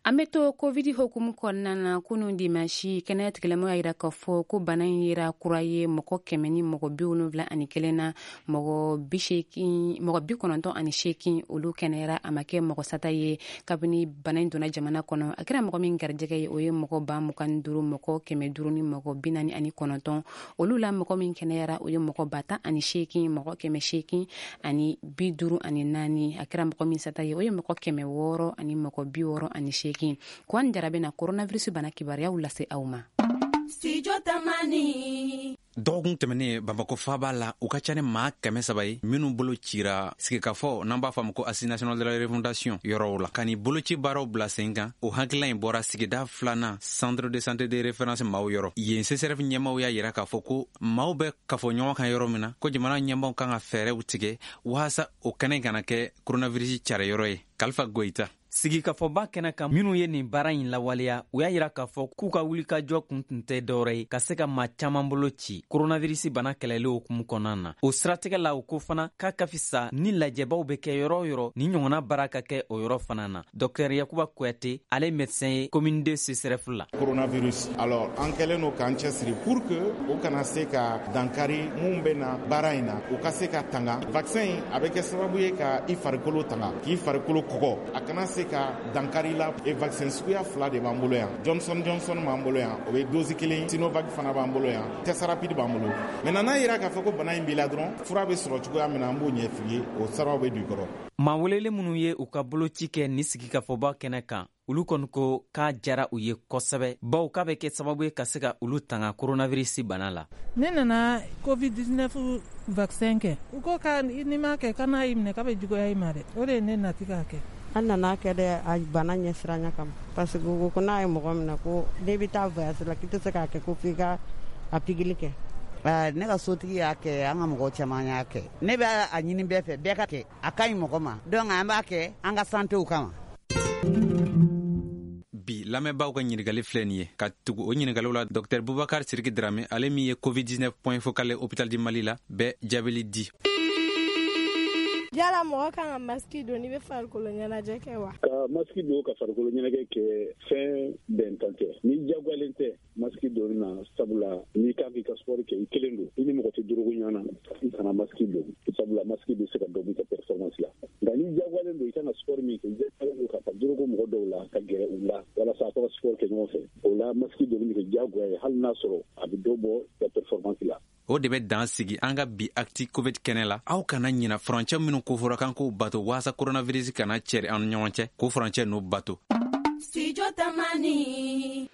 An bɛ to Covid hukumu kɔnɔna na. Kunun dimansi, kɛnɛya tigilamɔgɔw y'a yira k'a fɔ ko bana in yera kura ye mɔgɔ 171 na. Mɔgɔ 80, mɔgɔ 98, olu kɛnɛyara. A ma kɛ mɔgɔ sata ye kabini bana in donna jamana kɔnɔ. A kɛra mɔgɔ min garijɛgɛ ye, o ye mɔgɔ 25000 mɔgɔ 549. Olu la, mɔgɔ min kɛnɛyara, o ye mɔgɔ 18000 mɔgɔ 854. A kɛra mɔgɔ min sata ye, o ye mɔgɔ 668. Kuwan Jara bɛna coronavirus bana kibaruyaw lase aw ma. Studio Tamani. Dɔgɔkun tɛmɛnen, Bamakɔ faaba la, u ka ca ni maa 300 ye minnu bolo cira sigikafɔ, n'an b'a fɔ a ma ko Assise nationale de la refondation yɔrɔw la, ka nin boloci baaraw bila sen kan. O hakilila in bɔra sigida filanan centre de santé de référence maaw yɔrɔ. Yen CSRéf ɲɛmaw y'a yira k'a fɔ ko maaw bɛ kafo ɲɔgɔn kan yɔrɔ min na, ko jamana ɲɛmaw kan ka fɛɛrɛw tigɛ waasa o kɛnɛ kana kɛ coronavirus cari yɔrɔ ye. Kalifa Goyita. Sigikafɔba kɛnɛ kan, minnu ye nin baara in lawaleya, u y'a yira k'a fɔ k'u ka wulikajɔ kun tun tɛ dɔwɛrɛ ye ka se ka maa caaman bolo ci koronavirisi bana kɛlɛli hukumu kɔnɔna na. O siratigɛ la, u ko fana k'a ka fisa ni lajɛbaw bɛ kɛ yɔrɔ o yɔrɔ, ni ɲɔgɔnna baara ka kɛ o yɔrɔ fana na. Dɔktɛr Yakuba Kuyate, ale médecin ye commune 2 CSRéf la. Coronavirus, alors an kɛlen don k'an cɛsiri pour que o kana se ka dankari mun bɛ na baara in na, u ka se ka tanga. Vaccin in, a bɛ kɛ sababu ye ka i farikolo tanga, k'i farikolo kɔgɔ, a kana se ka dankari la. E vaccin suguya fila de b'an bolo yan: Johnson Johnson b'an bolo yan, o bɛ dose kelen, Sinovac fana b'an bolo yan, test rapide b'an bolo. Maintenant, n'a yira k'a fɔ ko bana in b'i la dɔrɔn, fura bɛ sɔrɔ cogoya min na, an b'o ɲɛf'i ye, o siraw bɛ don i kɔrɔ. Maa welelen minnu ye u ka boloci kɛ nin sigikafɔba kɛnɛ kan, olu kɔni ko k'a jara u ye kosɛbɛ, bawo k'a bɛ kɛ sababu ye ka se ka olu tanga koronavirisi bana la. Ne nana COVID-19 vaccin kɛ. U ko ka n'i m'a kɛ, ka n'a y'i minɛ, k'a bɛ juguya i ma dɛ. O de ye ne nati k'a kɛ. An nana kɛ dɛ, a bana ɲɛsiranya kama, parce que ko n'a ye mɔgɔ minɛ, ko n'i bɛ taa voyage la, k'i tɛ se k'a kɛ ko f'i ka a pikiri kɛ. Ne ka sotigi y'a kɛ, an ka mɔgɔ caman y'a kɛ. Ne bɛ a ɲini bɛɛ fɛ, bɛɛ ka kɛ, a ka ɲi mɔgɔ ma. Donc an b'a kɛ an ka santéw kama. Bi lamɛnbaaw ka ɲininkali filɛ nin ye. Ka tugu o ɲininkaliw la, Dr Bubakar Siriki Drame, ale min ye COVID-19 point focal Hôpital du Mali la, bɛ jaabili di. Yala mɔgɔ kan ka masiki don n'i bɛ farikolo ɲɛnajɛ kɛ wa? Ka masiki don ka farikolo ɲɛnajɛ kɛ, fɛn bɛntan tɛ n'i jagoyalen tɛ masiki donni na, sabula n'i kan k'i ka sport kɛ, i kelen don, i ni mɔgɔ tɛ dorogo ɲɔgɔn na, i kana masiki don, sabula masiki bɛ se ka dɔ b'i ka performance la. Nka n'i jagoyalen don, i kan ka sport min kɛ, i jagoyalen don ka taa dorogo mɔgɔ dɔw la, ka gɛrɛ u la walasa a ka sport kɛ ɲɔgɔn fɛ, o la masiki donni bɛ kɛ jagoya ye, hali n'a sɔrɔ a bɛ dɔ bɔ i ka performance la. O de bɛ dan sigi an ka bi Actu Covid kɛnɛ la. Aw kana ɲina furancɛ minnu kofɔra kan k'o bato waasa coronavirus kana cɛri an ni ɲɔgɔn cɛ, k'o furancɛ n'o bato. Studio Tamani.